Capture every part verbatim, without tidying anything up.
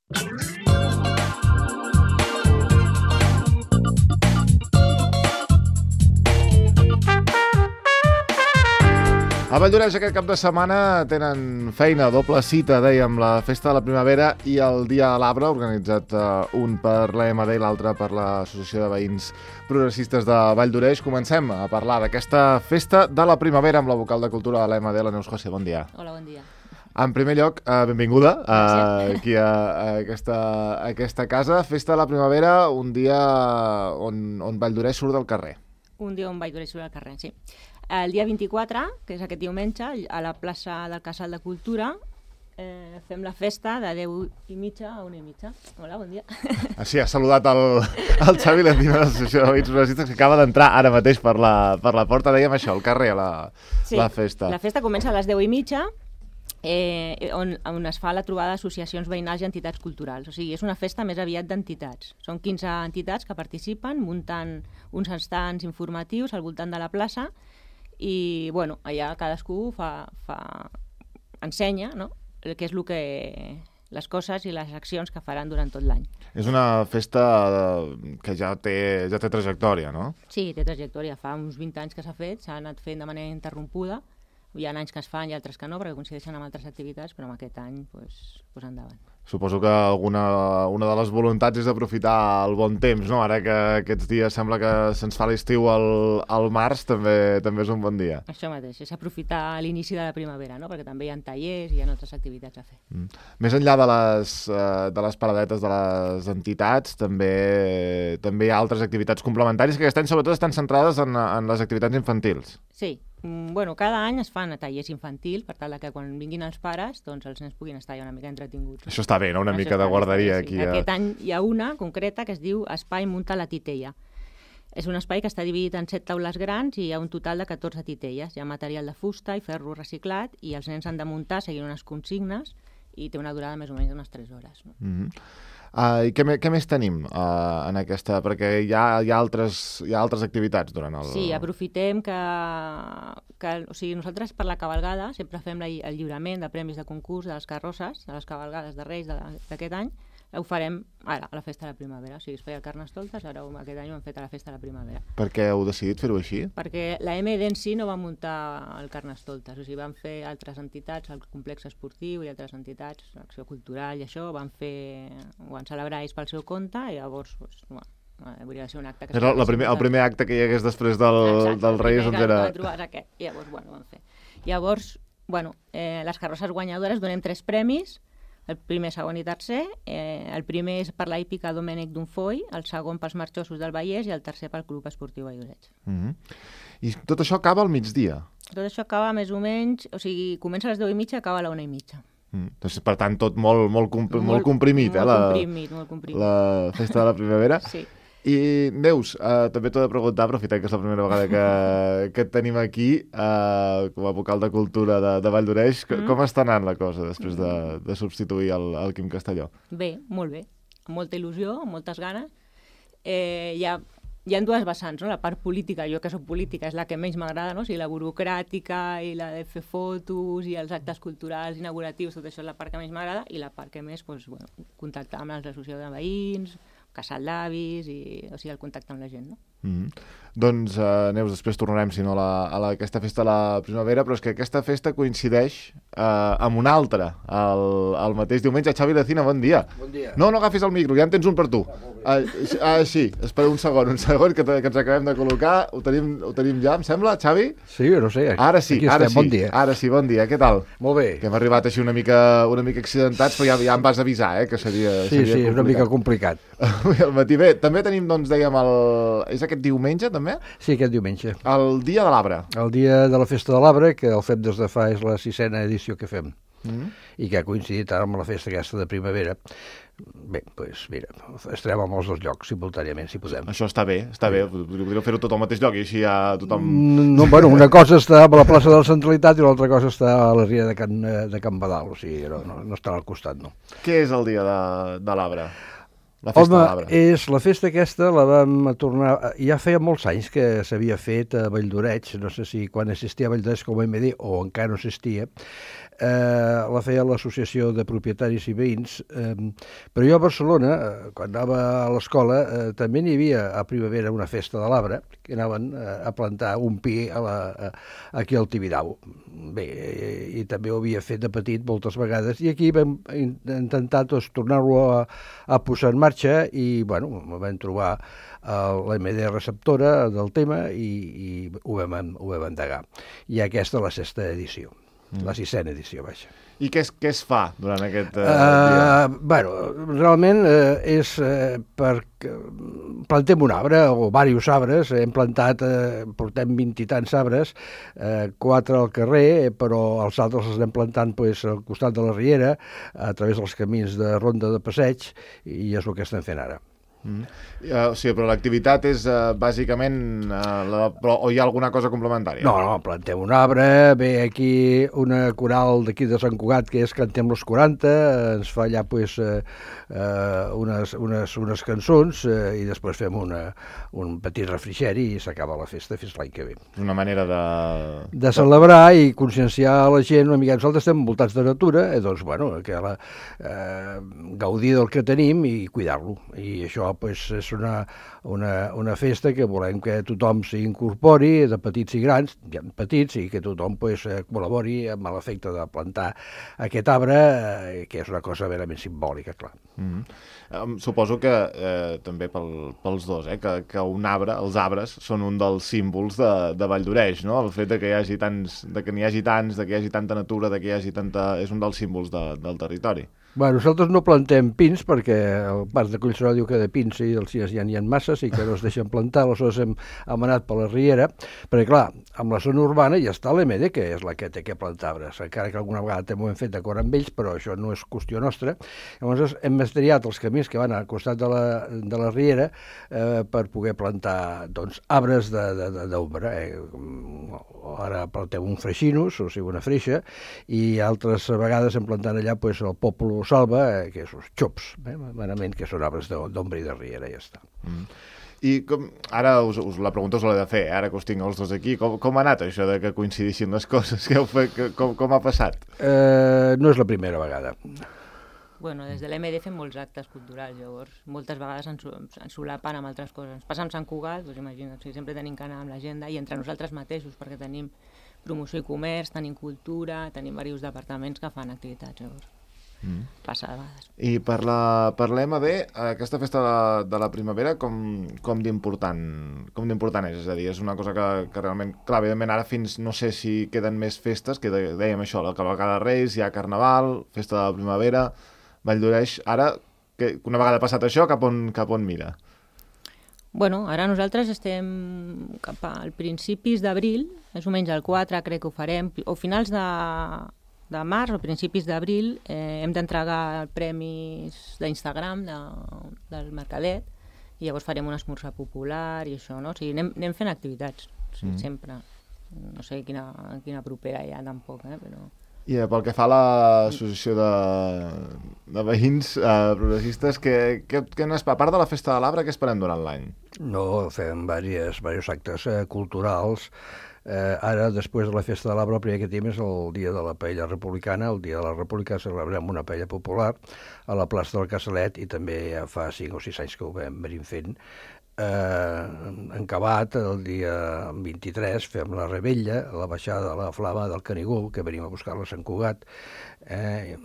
A Valldoreix aquest cap de setmana tenen feina, doble cita, dèiem, la Festa de la Primavera i el Dia de l'Arbre, organitzat uh, un per l'A M D i l'altre per l'Associació de Veïns Progressistes de Valldoreix. Comencem a parlar d'aquesta Festa de la Primavera amb la vocal de Cultura de l'A M D, la Neus José. Bon dia. Hola, bon dia. En primer lloc, uh, benvinguda uh, aquí a, a, aquesta, a aquesta casa. Festa de la Primavera, un dia on, on Valldoreix surt del carrer. Un dia on Valldoreix surt del carrer, sí. El dia vint-i-quatre, que és aquest diumenge, a la plaça del Casal de Cultura, eh, fem la festa de deu i mitja a una i mitja. Hola, bon dia. Ah, sí, ha saludat el, el Xavi Lendina de l'Associació de Veïns Progressistes, que acaba d'entrar ara mateix per la, per la porta. Dèiem això, al carrer, la, sí, la festa. La festa comença a les deu i mitja, eh, on, on es fa la trobada d'associacions veïnals i entitats culturals. O sigui, és una festa més aviat d'entitats. Són quinze entitats que participen, muntant uns estants informatius al voltant de la plaça, i bueno, allà cadascú fa, fa, ensenya, no?, el que és el que, les coses i les accions que faran durant tot l'any. És una festa que ja té, ja té trajectòria, no? Sí, té trajectòria. Fa uns vint anys que s'ha fet, s'ha anat fent de manera interrompuda. Hi ha anys que es fan i altres que no, perquè coincideixen amb altres activitats, però en aquest any, doncs, pues endavant. Suposo que alguna, una de les voluntats és aprofitar el bon temps, no? Ara que aquests dies sembla que se'ns fa l'estiu al, al març, també, també és un bon dia. Això mateix, és aprofitar l'inici de la primavera, no? Perquè també hi ha tallers i hi ha altres activitats a fer. Mm. Més enllà de les, uh, de les paradetes de les entitats, també, també hi ha altres activitats complementàries que aquest any sobretot estan centrades en, en les activitats infantils. Sí. Bueno, cada any es fan tallers infantils per tal que quan vinguin els pares doncs els nens puguin estar ja una mica entretinguts. Això està bé, no? Una Això mica de guarderia bé, sí. aquí. A... Aquest any hi ha una concreta que es diu Espai Munta la Titella. És un espai que està dividit en set taules grans i hi ha un total de catorze titelles. Hi ha material de fusta i ferro reciclat i els nens han de muntar seguint unes consignes i té una durada més o menys d'unes tres hores. No? Mm-hmm. Uh, I què, me, què més tenim uh, en aquesta? Perquè hi ha, hi, ha altres, hi ha altres activitats durant el... Sí, aprofitem que, que... O sigui, nosaltres per la cavalgada sempre fem la, el lliurament de premis de concurs de les carrosses, de les cavalgades de Reis d'aquest any. Ho farem ara, a la Festa de la Primavera. O sigui, es feia el Carnestoltes, ara aquest any ho hem fet a la Festa de la Primavera. Per què heu decidit fer-ho així? Perquè la M D en si no va muntar el Carnestoltes. O sigui, van fer altres entitats, el complex esportiu i altres entitats, l'acció cultural i això, van fer... ho van celebrar ells pel seu compte i llavors, doncs, bueno, hauria de ser un acte que... Era el primer, el primer acte que hi hagués després del, Exacte, del Reis, doncs era... Exacte, trobar aquest. I llavors, bueno, ho van fer. Llavors, bueno, eh, les carrosses guanyadores donem tres premis, el primer, segon i tercer. Eh, el primer és per la hípica Domènec Dunfoy, el segon pels marxosos del Vallès i el tercer pel Club Esportiu Valldoreix. Mm-hmm. I tot això acaba al migdia? Tot això acaba més o menys... O sigui, comença a les deu i mitja i acaba a la una i mitja. Mm. Doncs, per tant, tot molt, molt, comp molt, molt comprimit, molt eh? La, comprimit, molt comprimit. La Festa de la Primavera. Sí. I, Neus, uh, també t'ho he de preguntar, aprofitant que és la primera vegada que, que et tenim aquí, uh, com a vocal de Cultura de, de Valldoreix, mm. com està anant la cosa després de, de substituir el, el Quim Castelló? Bé, molt bé. Amb molta il·lusió, amb moltes ganes. Eh, hi ha Hi ha dues vessants, no? La part política, jo que soc política, és la que menys m'agrada, no? O sigui, la burocràtica i la de fer fotos i els actes culturals inauguratius, tot això és la part que menys m'agrada, i la part que més, doncs, bueno, contactar amb l'associació de veïns, casal d'avis, i, o sigui, el contacte amb la gent, no? Mm-hmm. Doncs, uh, Neus, després tornarem, si no, a, la, a la, aquesta festa de la primavera, però és que aquesta festa coincideix uh, amb una altra, el, el mateix diumenge. Xavi Lacina, bon dia. Bon dia. No, no agafis el micro, ja en tens un per tu. Ah, uh, sí, espera un segon, un segon, que, que ens acabem de col·locar. Ho tenim, ho tenim ja, em sembla, Xavi? Sí, no sé. Ara sí, ara sí. Bon dia. Ara sí, bon dia. Què tal? Molt bé. Que hem arribat així una mica, una mica accidentats, però ja, ja em vas avisar, eh, que seria, sí, seria sí, complicat. És una mica complicat. Avui al matí. Bé, també tenim, doncs, dèiem, el... és aquest diumenge, també? Sí, aquest diumenge. El dia de l'arbre. El dia de la Festa de l'Arbre, que el fem des de fa, és la sisena edició que fem, mm. i que ha coincidit ara amb la festa aquesta de primavera. Bé, doncs mira, estarem en els dos llocs simultàniament, si podem. Això està bé, està bé. Podríeu fer-ho tot al mateix lloc i així ja tothom... No, bueno, una cosa està a la plaça de la Centralitat i l'altra cosa està a la ria de Can, de Can Badal, o sigui, no, no, no està al costat, no. Què és el dia de, de l'arbre? la festa Home, de l'arbre? és la festa aquesta, la vam tornar... Ja feia molts anys que s'havia fet a Valldoreix, no sé si quan existia a Valldoreix com a M D o encara no existia, eh, la feia l'Associació de Propietaris i Veïns, eh, però jo a Barcelona, eh, quan anava a l'escola, eh, també n'hi havia a primavera una festa de l'arbre, que anaven eh, a plantar un pi a la, a, aquí al Tibidabo. Bé, i, i també ho havia fet de petit moltes vegades, i aquí vam intentar doncs, tornar-lo a, a posar en marxa, i bueno, vam trobar l'A M D receptora del tema i, i ho, vam, ho vam endegar. I aquesta és la sexta edició. Mm. La sisena edició, vaja. I què es, què es fa durant aquest uh, uh, dia? Bueno, realment uh, és uh, perquè plantem un arbre o diversos arbres, hem plantat, uh, portem vint i tants arbres, uh, quatre al carrer, però els altres els anem plantant pues, al costat de la riera, a través dels camins de ronda de passeig, i és el que estem fent ara. Mm. Uh, o sigui, però l'activitat és uh, bàsicament uh, la, però, o hi ha alguna cosa complementària? No, no, plantem un arbre, ve aquí una coral d'aquí de Sant Cugat que és Cantem los quaranta, ens fa allà pues, uh, uh, unes, unes, unes cançons uh, i després fem una, un petit refrigeri i s'acaba la festa fins l'any que ve. Una manera de... De celebrar i conscienciar la gent una mica. Nosaltres estem envoltats de natura, eh, doncs, bueno, que la, eh, gaudir del que tenim i cuidar-lo. I això pues, és una, una, una festa que volem que tothom s'hi incorpori, de petits i grans, ja petits, i que tothom pues, col·labori amb l'efecte de plantar aquest arbre, eh, que és una cosa verament simbòlica, clar. Mm-hmm. Um, suposo que eh, també pel, pels dos, eh, que, que un arbre, els arbres, són un dels símbols de, de Valldoreix, no? El fet de que hi hagi tants, de que n'hi hagi tants, de que hi hagi tanta natura, de que hi hagi tanta... és un dels símbols de, del territori. Bueno, nosaltres no plantem pins perquè el parc de Collserola diu que de pins i els ja n'hi ha masses i que no es deixen plantar, aleshores hem amanat per la riera, perquè clar, amb la zona urbana ja està l'E M D, que és la que té que plantar arbres, encara que alguna vegada també ho hem fet d'acord amb ells, però això no és qüestió nostra. Llavors hem estriat els camins que van al costat de la, de la riera eh, per poder plantar doncs, arbres d'ombra. Eh? Ara plantem un freixinus, o sigui una freixa, i altres vegades hem plantat allà pues, el Popolo Salva, eh, que és els xops, eh, merament, que són arbres d'ombra i de riera, ja està. Mm. I com, ara us, us la pregunta us l'he de fer, eh? Ara que us tinc els dos aquí, com, com ha anat això de que coincidissin les coses? Que heu fet, que, com, com ha passat? Eh, no és la primera vegada. Bueno, des de l'E M D fem molts actes culturals, llavors moltes vegades ens, ens solapen amb altres coses. Ens passa amb Sant Cugat, doncs imagina't, o sigui, sempre tenim que anar amb l'agenda i entre nosaltres mateixos, perquè tenim promoció i comerç, tenim cultura, tenim diversos departaments que fan activitats, llavors. Mm. Passa a vegades. I per la, per l'E M D, aquesta festa de, de la primavera, com, com d'important com d'important és? És a dir, és una cosa que, que realment, clar, evidentment ara fins, no sé si queden més festes, que dèiem això, la cavalcada de Reis, hi ha Carnaval, festa de la primavera, Valldoreix, ara, que una vegada passat això, cap on, cap on mira? Bueno, ara nosaltres estem cap al principis d'abril, més o menys el quatre crec que ho farem, o finals de, de març o principis d'abril, eh, hem d'entregar premis d'Instagram de, del Mercadet, i llavors farem un esmorzar popular i això, no? O sigui, anem, anem fent activitats, o sigui, mm. sempre. No sé quina, quina propera hi ha tampoc, eh, però... I eh, pel que fa a l'associació de, de veïns eh, progressistes, que, que, que no és, a part de la festa de l'arbre, què esperem durant l'any? No, fem diversos, diversos actes eh, culturals. Eh, ara, després de la festa de l'arbre, el primer que tenim és el dia de la paella republicana. El dia de la república celebrem una paella popular a la plaça del Casalet, i també ja fa cinc o sis anys que ho vam venir fent. Eh, en acabat, el dia vint-i-tres, fem la rebella, la baixada de la flama del Canigó, que venim a buscar-la a Sant Cugat. Eh,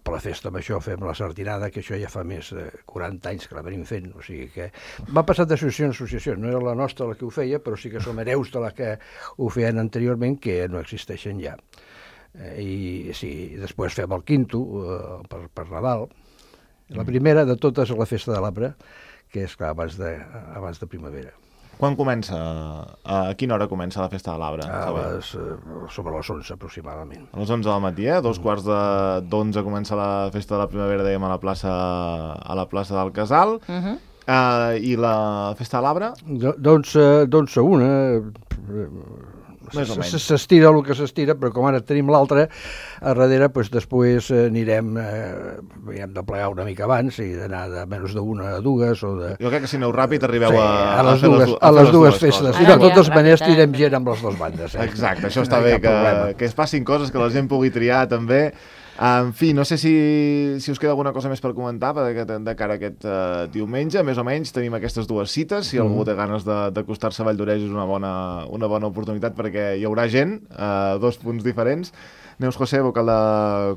per la festa amb això fem la sartinada, que això ja fa més de quaranta anys que la venim fent, o sigui que va passar d'associació en associació, no era la nostra la que ho feia, però sí que som hereus de la que ho feien anteriorment, que no existeixen ja. Eh, i sí, després fem el quinto eh, per, per Nadal. La primera de totes és la festa de l'arbre, que és clar, abans de, abans de primavera. Quan comença? A quina hora comença la festa de l'arbre? A les, sobre les onze, aproximadament. A les onze del matí, eh? Dos quarts d'onze comença la festa de la primavera, dèiem, a la plaça, a la plaça del Casal. Uh -huh. uh, I la festa de l'arbre? D'onze a una, Més o menys. S'estira el que s'estira, però com ara tenim l'altre, a darrere, doncs, després anirem, eh, hem de plegar una mica abans i d'anar de menys d'una a dues o de... Jo crec que si aneu ràpid arribeu sí, a, a les a fer dues, les, a a les dues coses. festes. Ara I de ja, totes maneres ràpid, tirem eh? gent amb les dues bandes. Eh? Exacte, això No està hi ha bé, cap que, problema. que es passin coses, que la gent pugui triar també. En fi, no sé si, si us queda alguna cosa més per comentar de, de cara a aquest uh, diumenge. Més o menys tenim aquestes dues cites. Si mm. algú té ganes d'acostar-se a Valldoreix és una bona, una bona oportunitat perquè hi haurà gent, uh, dos punts diferents. Neus José, vocal de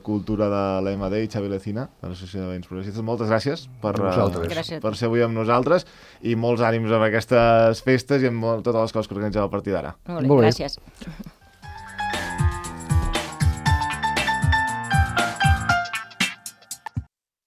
Cultura de l'E M D, i Xavi Lecina, de l'Associació de Veïns Progressistes. Moltes gràcies per, uh, per ser avui amb nosaltres i molts ànims amb aquestes festes i amb molt, totes les coses que organitzeu a partir d'ara. Molt bé, gràcies.